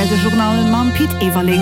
Aktuell, de Journal mam Pit Everling.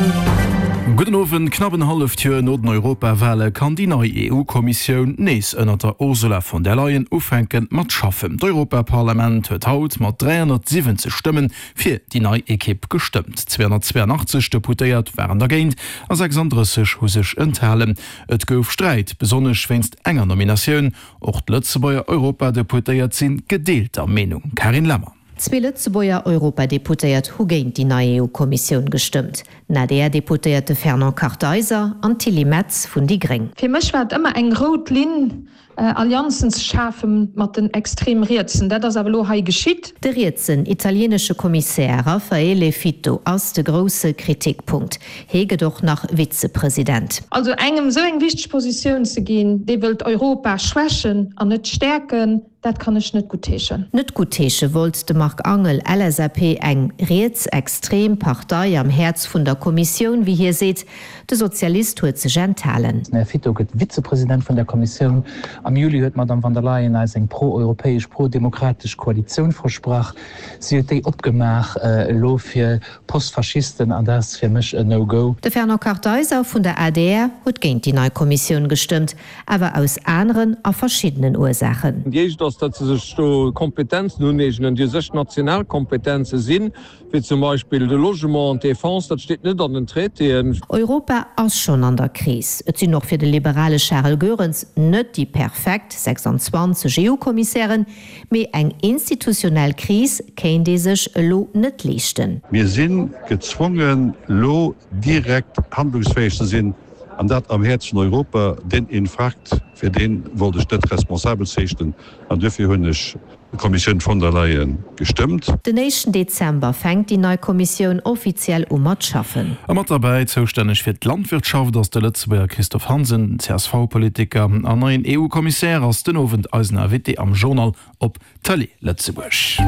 Gudden Owend. Knapp en halleft Joer no den Europawale kann déi nei EU-Kommissioun nees ënnert der Ursula von der Leyen ufänke mat schaffen. D'Europaparlament huet haut mat 370 Stëmmen fir déi nei Ekipp gestëmmt. 282 Deputéiert waren dergéint a 36 hu sech enthalen. Et gouf Sträit, besonnesch wéinst enger Nominatioun. Och d'Lëtzebuerger Europadeputéiert si gedeelter Meenung. Carine Lemmer. Zwee Lëtzebuerger Europadeputéiert hu géint déi nei EU-Kommissioun gestëmmt, den ADR-Deputéierte Fernand Kartheiser an d'Tilly Metz vun déi gréng. Fir mech war et ëmmer eng rout Linn, Allianzen ze schafe mat den extrem Rietsen. Dat ass awer elo hei geschitt. De rietsen italienesche Kommissär Raffaele Fitto ass de grousse Kritikpunkt. Hee gëtt och nach Vizepresident. Also engem esou eng wichteg Positioun ze ginn, dee wëllt Europa schwächen an net stäerken, dat kann ech net guttheeschen. Net guttheesche wollt de Marc Angel, LSAP, eng rietsextrem Partei am Häerz vun der Kommissioun, wéi hie seet. De Sozialist huet sech enthalen. Den Här Fitto gëtt Vizepresident vun der Kommissioun. Am Juli huet d'Madame van der Leyen eis eng pro-europäesch, pro-demokratesch Koalitioun versprach. Si huet déi opgemaach elo fir Postfaschisten an dat ass fir mech en No-Go. De Fernand Kartheiser vun der adr huet géint déi nei Kommissioun gestëmmt, awer aus aneren a verschiddenen Ursaachen. Déi éischt ass, datt se sech do Kompetenzen uneegnen, déi u sech national Kompetenze sinn, wéi zum Beispill de Logement an d'Defense. Dat steet net an den Traitéen. Europa ass schonn an der Kris. Et sinn och fir de liberale Charel Goerens net déi perfekt 26 EU-Kommissären, Mee eng institutionell Kris kéint ee sech elo net leeschten. Mir si gezwongen, lo direkt handlungsfäeg ze sinn, an dat am Häerz vun Europa. Deen Infarkt, fir dee wollt ech net responsabel zeechnen, an duerfir hunn ech d'Kommissioun von der Leyen gestëmmt. Den éischten Dezember fänkt déi nei Kommissioun offiziell u mat schaffen. A mat derbäi, zoustänneg fir d'Landwirtschaft ass de Lëtzebuerger Christophe Hansen, den CSV-Politiker an neien EU-Kommissär ass den Owend eisen Invité am Journal op Tëlee Lëtzebuerg.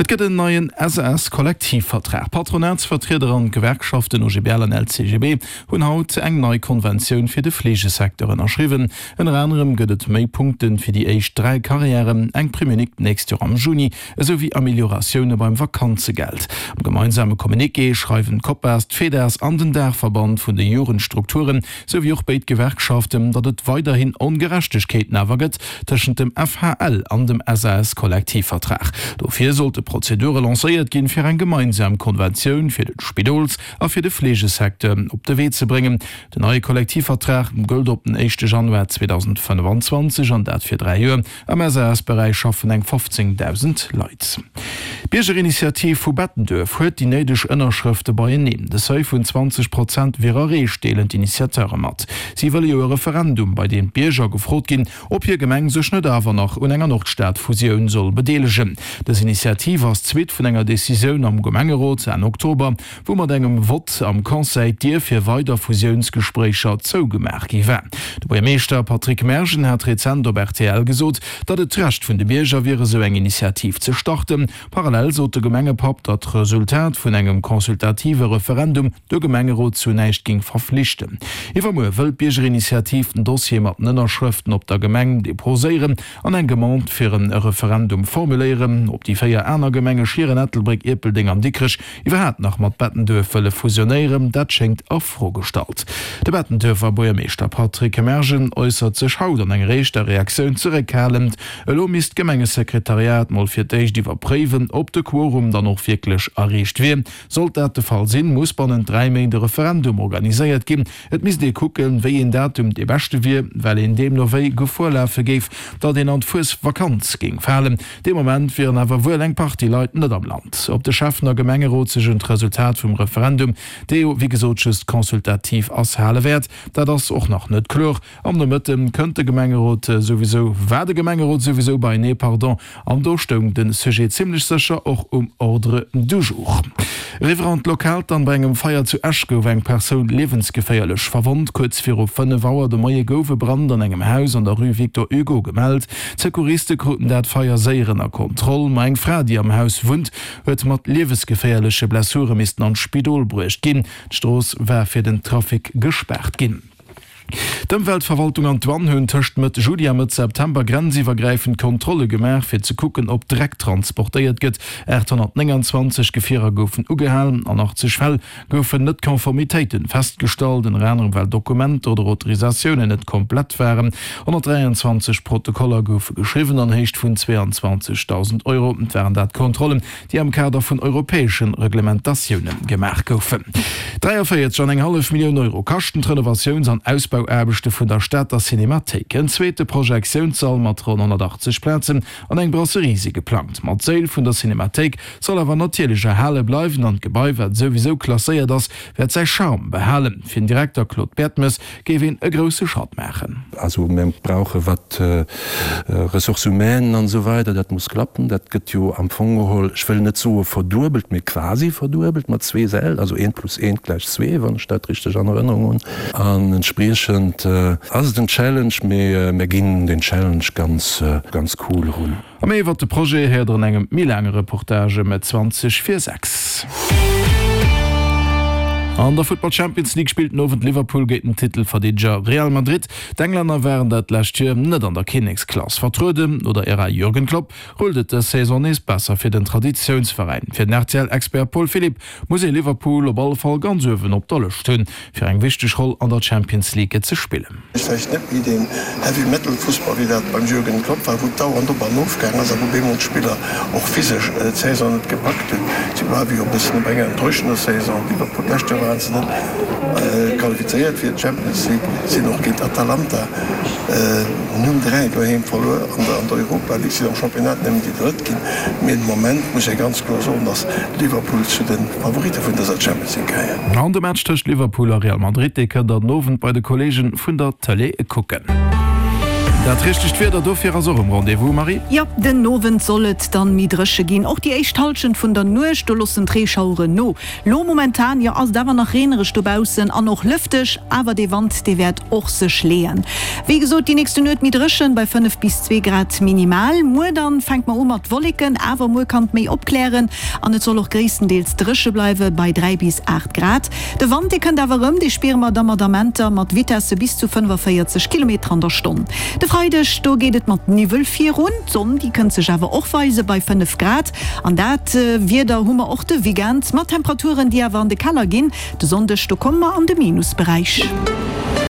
Et gëtt en neien SAS-Kollektivvertrag. D'Patronatsvertrieder an d'Gewerkschaften OGBL an LCGB hunn haut eng nei Konventioun fir de Fleegesecteur ënnerschriwwen. Ënner anerem gëtt et méi Punkte fir déi éischt 3 Karriären, eng Prime unique d'nächst Joer am Juni, esou wéi Amelioratioune beim Vakanzegeld. Am gemeinsame Communiqué schreiwen d'Copas, d'Fedas an den Daachverband vun de Jugendstrukturen, esou wéi och béid Gewerkschaften, datt et weiderhin Ongerechtegkeeten awer gëtt tëschent dem FHL an dem SAS-Kollektivvertrag. Dofir sollte Prozedure lancéiert ginn, fir eng gemeinsam Konventioun fir de Spidols a fir de Fleegesecteur op de Wee ze bréngen. Den neie Kollektivvertrag gëllt op den éischte Januar 2025, an dat fir 3 Joer. Am SAS-Beräich schaffen eng 15.000 Leit. D'Biergerinitiativ vu Bettenduerf huet déi néideg Ënnerschrëfte beieneen. De Seuil vun 20 Prozent wier erreecht, deelen d'Initiateure mat. Si wëlle jo e Referendum, bei deem d'Bierger gefrot ginn, ob hir Gemeng sech net awer nach un enger Nordstad-Fusioun soll bedeelegen. Dës Initiativ ass d'Suite vun enger Decisioun am Gemengerot Enn Oktober, wou mat engem Vott am Conseil d'Dier fir weider Fusiounsgespréicher zougemaach gi war. De Buergermeeschter Patrick Mergen hat rezent op rtl gesot, datt et d'Recht vun de Bierger wier, esou eng Initiativ ze starten. Parallel sot de Gemengepapp, datt d'Resultat vun engem consultative Referendum de Gemengerot zu näischt géing verflichten. Iwwermuer wëll d'Biergerinitiativ den Dossier mat den Ënnerschrëften op der Gemeng deposéieren an eng Demande fir e Referendum formuléieren. Ob déi 4 aner Gemenge Schieren, Ettelbréck, Ierpeldeng an Dikrech Iwwerhaapt nach mat Bettenduerf wëlle fusionéieren, dat schéngt a Fro gestallt. De Bettenduerfer Buergermeeschter Patrick Mergen äussert sech haut an enger éischter Reaktioun zeréckhalend. Elo misst d'Gemengesekretariat mol fir d'éischt iwwerpréiwen, ob de Quorum dann och wierklech erreecht wier. Sollt dat de Fall sinn, muss bannent 3 Méint e Referendum organiséiert ginn. Et misst ee kucken, wéi een Datum dee beschte wier, well een deemno wéi Gefor lafe géif, datt een an d'Fuesvakanz géing falen. Dee Moment wieren awer wuel eng Partie Leit net am Land. Ob de Schäffen a Gemengerot sech un d'Resultat vum Referendum, dee jo wéi gesot just consultativ ass, hale wäert, dat ass och nach net kloer. Am Nomëtte kënnt de Gemengerot souwisou, war de Gemengerot souwisou beienee, pardon, an do stoung de Sujet zimlech sécher och um Ordre du jour. Eriwwer an d'Lokalt dann, Bei engem Feier zu Esch gouf eng Persoun liewensgeféierlech verwonnt. Kuerz viru 5 Auer de Moie gouf e Brand an engem Haus an der Rue Victor Hugo gemellt. D'Secouriste kruten dat Feier séier ënner Kontroll, ma eng Fra, déi am Haus wunnt, huet mat liewesgeféierleche Blessure missten an d'Spidol bruecht ginn. D'Strooss war fir den Trafic gespaart ginn. D'Ëmweltverwaltung an d'Douane hunn tëscht Mëtt Juli a Mëtt September grenziwwergräifend Kontrolle gemaach, fir ze kucken, ob Dreck transportéiert gëtt. 829 Gefierer goufen ugehalen, an 80 Fäll goufen Net-Konformitéite festgestallt, ënner anerem well Dokumenter oder Autorisatiounen net komplett waren. 123 Protokoller goufe geschriwwen an Héicht vun 22.000 Euro. Et waren dat Kontrollen, déi am Kader vun europäesche Reglementatioune gemaach goufen. 43 an eng hallef Millioun Euro kaschten d'Renovatiouns an Ausbauaarbechte vun der Stater Cinemathéik. En zweete Projektiounssall mat ronn 180 Plazen an eng Brasserie si geplangt. Ma d'Séil vun der Cinemathéik soll awer natierlech erhale bleiwen an d'Gebai, wat souwisou klasséiert ass, wäert säi Charme behalen. Fir den Direkter Claude Bertemes géif een e grousse Schratt maachen. Also mir brauche wat Ressources humaines an esou weider, dat muss klappen. Dat gëtt jo am Fong geholl, ech wëll net soe verduebelt, mee quasi verduebelt mat zwee Säll, also eent plus eent gläich zwee, wann ech dat richteg an Erënnerung hunn. An entspriechend ass et en Challenge, mee mir ginn deen Challenge ganz, ganz cool erun. A méi iwwert de Projet héiert der an engem méi laange Reportage ëm 20 vir 6. An der Futtball Champions League spillt den Owend Liverpool géint den Titelverdeedeger Real Madrid. D'Englänner waren dat lescht Joer net an der Kinneksklass vertrueden. No der Ära Jürgen Klopp rullt et dës Saison nees besser fir den Traditiounsveräin. Fir den RTL-Expert Paul Philipp muss ee Liverpool op alle Fall ganz uewen op der Lëscht hunn, fir eng wichteg Roll an der Champions League ze spillen. Vläicht net méi deen Heavy Metal Fussball wéi dat beim Jürgen Klopp war, wou et dauernd op an of gaang ass a wou bemol d'Spiller och physesch d'Saison net gepackt hunn. Si bleiwe jo e bëssen op enger enttäuschender Saison. Liverpool, d'lescht Joer waren se net qualifizéiert fir d'Champions League, sinn och géint Atalanta 0, 3 doheem verluer an der Europa League, sinn am Championnat nëmmen déi Drëtt ginn. Mee de Moment muss ee ganz kloer soen, datt Liverpool zu de Favoritte vun dëser Champions League gehéiert. An de Match tëscht Liverpool a Real Madrid, dee kënnt der den Owend bei de Kolleege vun der Tëlee kucken. Dat richtegt Wieder dofir ass och um Rendez-vous, Marie? Jo, den Owend soll et dann méi dréche ginn. Och déi éischt Hallschent vun der Nuecht, do loossen d'Reeschaueren no. Lo momentan, jo, ass et awer nach reenereg dobaussen an och lëfteg, awer dee Wand, dee wäert och sech leeën. Wéi gesot, déi nächste Nuet méi dréchen, bei 5 bis 2 Grad minimal. Muer dann fänkt mer u mat Wolleken, awer muer kann et méi opklären an et soll och gréisstendeels dréche bleiwe bei 3 bis 8 Grad. De Wand, dee kënnt awer erëm, dee spiere mer da mat Amenter mat Vitesse bis zu 45 Kilometer an der Stonn. De Freideg, do geet et mat Niwwel virun, d'Sonn, déi kënnt sech awer och weise bei 5 Grad. An dat Wieder hu mer och de Weekend, mat Temperaturen, déi awer an de Keller ginn. De Sonndeg, do komme mer an de Minusberäich.